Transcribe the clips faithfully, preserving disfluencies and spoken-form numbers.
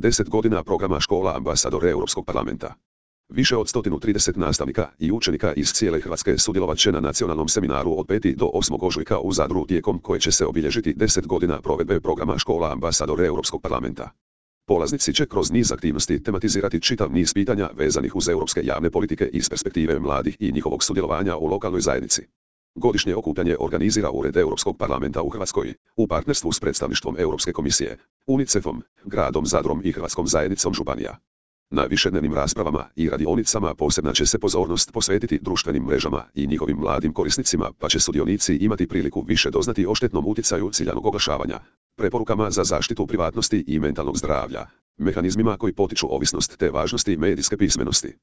deset godina programa škola ambasador Europskog parlamenta. Više od sto trideset nastavnika i učenika iz cijele Hrvatske sudjelovat će na nacionalnom seminaru od petog do osmog ožujka u Zadru tijekom koje će se obilježiti deset godina provedbe programa škola ambasador Europskog parlamenta. Polaznici će kroz niz aktivnosti tematizirati čitav niz pitanja vezanih uz europske javne politike iz perspektive mladih i njihovog sudjelovanja u lokalnoj zajednici. Godišnje okupljanje organizira Ured Europskog parlamenta u Hrvatskoj, u partnerstvu s predstavništvom Europske komisije, UNICEF-om, gradom Zadrom i Hrvatskom zajednicom županija. Na višednevnim raspravama i radionicama posebna će se pozornost posvetiti društvenim mrežama i njihovim mladim korisnicima, pa će sudionici imati priliku više doznati o štetnom utjecaju ciljanog oglašavanja, preporukama za zaštitu privatnosti i mentalnog zdravlja, mehanizmima koji potiču ovisnost te važnosti medijske pismenosti.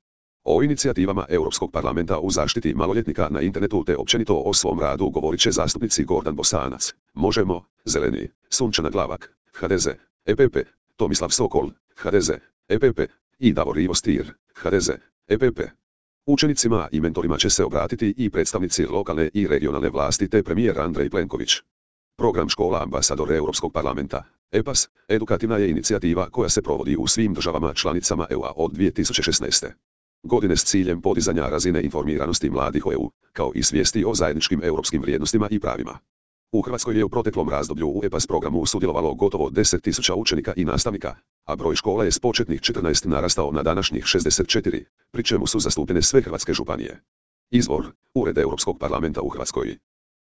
O inicijativama Europskog parlamenta u zaštiti maloljetnika na internetu te općenito o svom radu govorit će zastupnici Gordan Bosanac, Možemo, Zeleni, Sunčana Glavak, H D Z, E P P, Tomislav Sokol, H D Z, E P P i Davor Ivo Stier, H D Z, E P P. Učenicima i mentorima će se obratiti i predstavnici lokalne i regionalne vlasti te premijer Andrej Plenković. Program škola ambasador Europskog parlamenta, E P A S, edukativna je inicijativa koja se provodi u svim državama članicama E U-a od dvije tisuće šesnaeste. godine s ciljem podizanja razine informiranosti mladih o E U, kao i svijesti o zajedničkim europskim vrijednostima i pravima. U Hrvatskoj je u proteklom razdoblju u E P A S programu sudjelovalo gotovo deset tisuća učenika i nastavnika, a broj škola je s početnih četrnaest narastao na današnjih šezdeset četiri, pri čemu su zastupljene sve hrvatske županije. Izvor: Ured Europskog parlamenta u Hrvatskoj.